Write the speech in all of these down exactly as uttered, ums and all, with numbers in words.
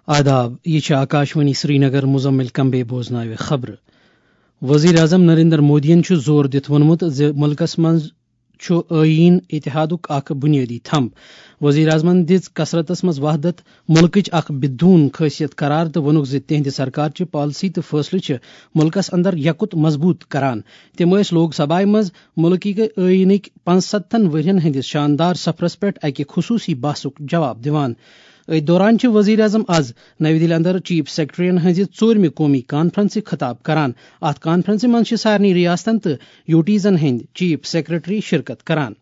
آداب، یہِ چھِ آکاشوانی سرینگر، مزمل کمبے بوزناوِ خبرٕ۔ وزیر اعظم نریندر مودیَن چھُ زور دِتھ ووٚنمُت زِ مُلکَس منٛز چھُ ٲییٖن، اتحادُک اکھ بُنیٲدی تھمب۔ وزیر اعظمَن دِژ کثرتَس منٛز وحدت مُلکٕچ اکھ بدون خٲصیت قرار تہٕ ووٚنُکھ زِ تِہنٛدِ سرکار چہِ پالیسی تہٕ فٲصلہٕ چھِ مُلکَس اندر یکُت مضبوٗط کران۔ تِم ٲسۍ لوک سبھایہِ منٛز مُلکٕکۍ ٲییٖنٕکۍ پانٛژستتھن ؤرین ہٕنٛدِس شاندار سفرَس پٮ۪ٹھ اکہِ خصوٗصی بحثُک جواب دِوان۔ أتھۍ دوران چھِ وزیر اعظم از نَوِ دِلہِ اندر چیف سیکرٹریَن ہٕنٛزِ ژوٗرمہِ قومی کانفرنسہِ خطاب کران۔ اَتھ کانفرنسہِ منٛز چھِ سارنٕے ریاستن تہٕ یوٗٹیٖزن ہٕنٛدۍ چیف سیکرٹری شرکت کران۔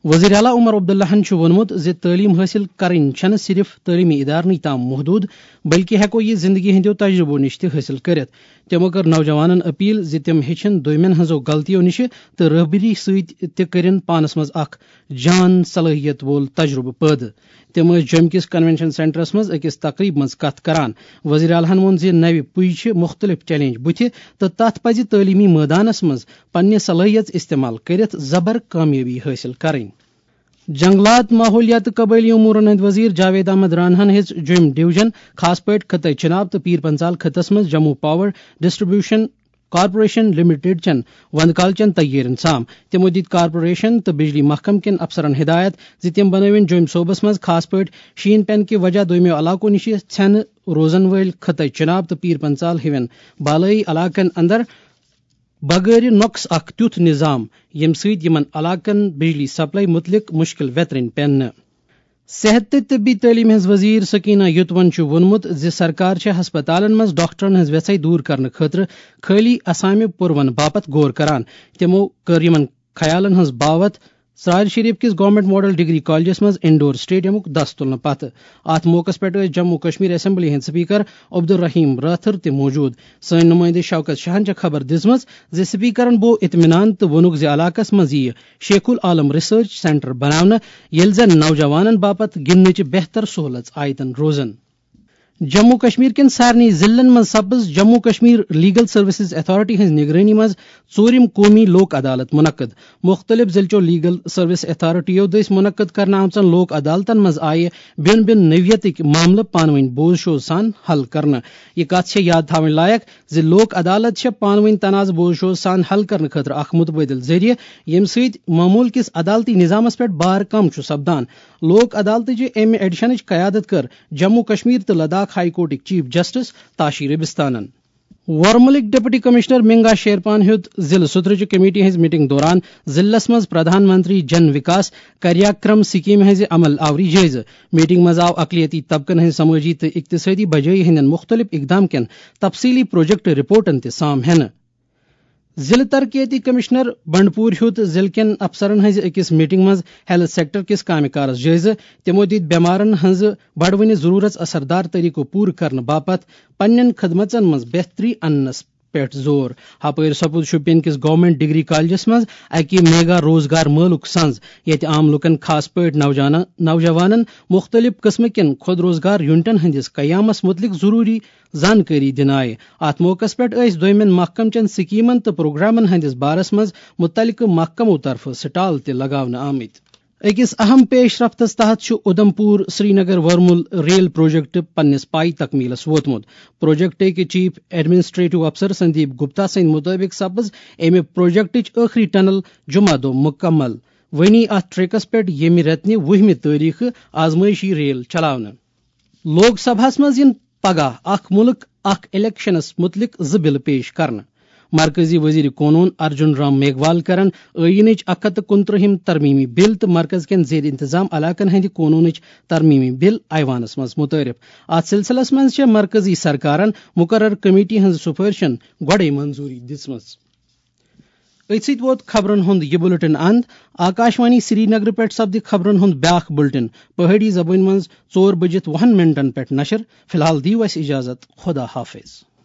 وزیر اعلیٰ عمر عبداللہَن چھُ ووٚنمُت زِ تعلیٖم حٲصِل کرٕنۍ چھَنہٕ صرف تعلیٖمی ادارنٕے تام محدوٗد، بلکہِ ہٮ۪کو یہِ زندگی ہٕنٛدیو تجربو نِش تہِ حٲصِل کٔرِتھ۔ تِمو کٔر نوجوانَن اپیل زِ تِم ہیٚچھِن دوٚیمٮ۪ن ہٕنٛزو غلطیو نِشہِ تہٕ رٲہبٔری سۭتۍ تہِ کٔرِن پانَس منٛز اکھ جان صلٲحیت وول تجربہٕ پٲدٕ۔ تِم ٲسۍ جوٚمہِ کِس کنونشن سینٹرس منٛز أکِس تقریٖب منٛز کتھ کران۔ وزیر اعلیٰ ہَن ووٚن زِ نَوِ پُیہِ چھِ مُختٔلِف چیلنج بُتھِ تہٕ تَتھ پَزِ تعلیٖمی مٲدانس منٛز پننہِ صلٲحیت استعمال کٔرِتھ زبر کامیٲبی حٲصِل کرٕنۍ۔ جنگلات، ماحولیات تہٕ قبٲئلی امورن ہٕنٛدۍ وزیر جاوید احمد راناہن ہیٚژ جوٚم ڈویژن، خاص پٲٹھۍ خطے چناب تہٕ پیرپنژال خطس منٛز Jammu power distribution corporation limited چٮ۪ن وندٕ کالچٮ۪ن تیٲرین سام۔ تِمو دِتۍ کارپوریشن تہٕ بجلی محکمہٕ کٮ۪ن افسرن ہدایت زِ تِم بنٲوِن جوٚم صوبس منٛز خاص پٲٹھۍ شیٖن پٮ۪نہٕ کہِ وجہ دوٚیمٮ۪و علاقو نِش ژھٮ۪نہٕ روزن وٲلۍ خطے چناب تہٕ پیرپنژال ہِوٮ۪ن بالٲیی علاقن اندر بغٲرِ نۄقص اکھ تیُتھ نظام، ییٚمہِ سۭتۍ یِمن علاقن بجلی سپلائی مُتعلق مُشکِل ویترٕنۍ پٮ۪ن نہٕ۔ صحت تہٕ طبی تعلیٖم ہٕنٛز وزیر سکینہ یوتون چھُ ووٚنمُت زِ سرکار چھےٚ ہسپتالن منٛز ڈاکٹرن ہٕنٛز ویژھے دوٗر کرنہٕ خٲطرٕ خٲلی اسامہِ پُرون باپتھ غور کران۔ تِمو کٔر یِمن خیالن ہٕنٛز باوتھ ژرارِ شریف کِس گورنمنٹ ماڈل ڈگری کالجس منٛز انڈور اسٹیڈیمُک دَس تُلنہٕ پتہٕ۔ اتھ موقعس پٮ۪ٹھ ٲسۍ جموں کشمیر اسمبلی ہٕنٛدۍ سپیکر عبدالرحیم رٲتھر تہِ موجود۔ سٲنۍ نُمٲیندٕ شوکت شاہن چھےٚ خبر دِژمٕژ زِ سپیکرن بوو اطمینان تہٕ ووٚنُکھ زِ علاقس منٛز یِیہِ شیخ العالم ریسرچ سینٹر بناونہٕ، ییٚلہِ زن نوجوانن باپتھ گِنٛدنٕچ بہتر سہولژ آیتن روزن۔ جموں کشمیر کٮ۪ن سارنٕے ضلعن منٛز سپٕز Jammu Kashmir legal services authority ہٕنٛز نگرٲنی منٛز ژوٗرِم قومی لوک عدالت منعقد۔ مُختٔلِف ضلعہٕ چو لیگل سروس اتھارٹیو دٔسۍ منعقد کرنہٕ آمژن لوک عدالتن منٛز آیہِ بیوٚن بیوٚن نوعیتٕکۍ معاملہٕ پانہٕ ؤنۍ بوز شوز سان حل کرنہٕ۔ یہِ کتھ چھےٚ یاد تھاوٕنۍ لایق زِ لوک عدالت چھےٚ پانہٕ ؤنۍ تنازٕ بوز شوز سان حل کرنہٕ خٲطرٕ اکھ متبادل ذٔریعہٕ، ییٚمہِ سۭتۍ معمول کِس عدالتی نظامس پٮ۪ٹھ بار کم چھُ سپدان۔ لوک عدالتٕچہِ امہِ ایڈیشنٕچ قیادت کٔر جموں کشمیر تہٕ لداخ ہائی کورٹٕکۍ چیف جسٹس تاشی ربستانن۔ ورمُلٕکۍ ڈپٹی کمشنر منگا شیرپان ہیوٚت ضلعہٕ سترٕچہِ کمیٹی ہٕنٛز میٹنگ دوران ضلعس منٛز پردھان منتری جن وکاس کریاکرم سکیمہِ ہٕنٛزِ عمل آوری جٲیزٕ۔ میٹنگ منٛز آو اقلیتی طبقن ہٕنٛز سمٲجی تہٕ اقتصٲدی بجٲیی ہٕنٛدٮ۪ن مُختٔلِف اقدام کٮ۪ن تفصیٖلی پروجیکٹ رپورٹن تہِ سام ہٮ۪نہٕ۔ ضلعہٕ ترقیتی کمشنر بنڈپور ہیوٚت ضلعہٕ کٮ۪ن افسرن ہٕنٛزِ أکِس میٹنگ منٛز ہیلتھ سیکٹر کِس کامہِ کارس جٲیزٕ۔ تِمو دِتۍ بٮ۪مارن ہٕنٛزٕ بڑوٕنہِ ضروٗرژ اثردار طریقو پوٗرٕ کرنہٕ باپتھ پننٮ۪ن خدمژن منٛز بہتری اننس پٮ۪ٹھ زور۔ ہپٲرۍ سپُد شوپین کِس گورنمنٹ ڈگری کالجس منٛز اکہِ میگا روزگار مٲلُک سنز، ییٚتہِ عام لوٗکن، خاص پٲٹھۍ نوجوانن، نوجوانن مُختٔلِف قٕسمہٕ کٮ۪ن خود روزگار یونٹن ہٕنٛدِس قیامس مُتعلق ضروٗری زانکٲری دِنہٕ آیہِ۔ اتھ موقعس پٮ۪ٹھ ٲسۍ دوٚیمٮ۪ن محکمہٕ چٮ۪ن سکیمن تہٕ پروگرامن ہٕنٛدِس بارس منٛز مُتعلقہٕ محکمو طرفہٕ سٹال تہِ لگاونہٕ آمٕتۍ۔ أکِس اہم پیش رفتس تحت چھُ اُدھمپور سرینگر ورمُل ریل پروجیکٹ پننِس پاے تکمیلس ووتمُت۔ پروجیکٹٕکۍ چیف ایڈمنسٹریٹو افسر سندیپ گپتا سٕنٛدۍ مُطٲبِق سپٕز امہِ پروجیکٹٕچ ٲخری ٹنل جمعہ دۄہ مُکمل۔ وۄنی اتھ ٹریکس پٮ۪ٹھ ییٚمہِ رٮ۪تہٕ نہِ وُہمہِ تٲریخہٕ آزمٲیشی ریل چلاونہٕ۔ لوک سبھاہس منٛز یِن پگاہ اکھ مُلک اکھ الیکشنس مُتعلق زٕ بِلہٕ پیش کرنہٕ۔ مرکزی وزیر قونوٗن ارجُن رام میگھوال کرن ٲییٖنٕچ اکھ ہتھ تہٕ کُنترٛہِم ترمیمی بِل تہٕ مرکز کٮ۪ن زیر انتظام علاقن ہٕنٛدِ قونوٗنٕچ ترمیمی بِل ایوانس منٛز مُتعارف۔ اتھ سلسلس منٛز چھےٚ مرکزی سرکارن مُقرر کمیٹی ہٕنٛز سُفٲرشن گۄڈَے منظوٗری دِژمٕژ۔ أتھۍ سۭتۍ ووت خبرن ہُنٛد یہِ بُلٹن اند۔ آکاشوانی سرینگرٕ پٮ۪ٹھ سپدِ خبرن ہُنٛد بیٛاکھ بُلٹن پہٲڑی زبٲنۍ منٛز ژور بٔجِتھ وُہن منٹن پٮ۪ٹھ نشر۔ فی الحال دِیِو اَسہِ اجازت۔ خدا حافظ۔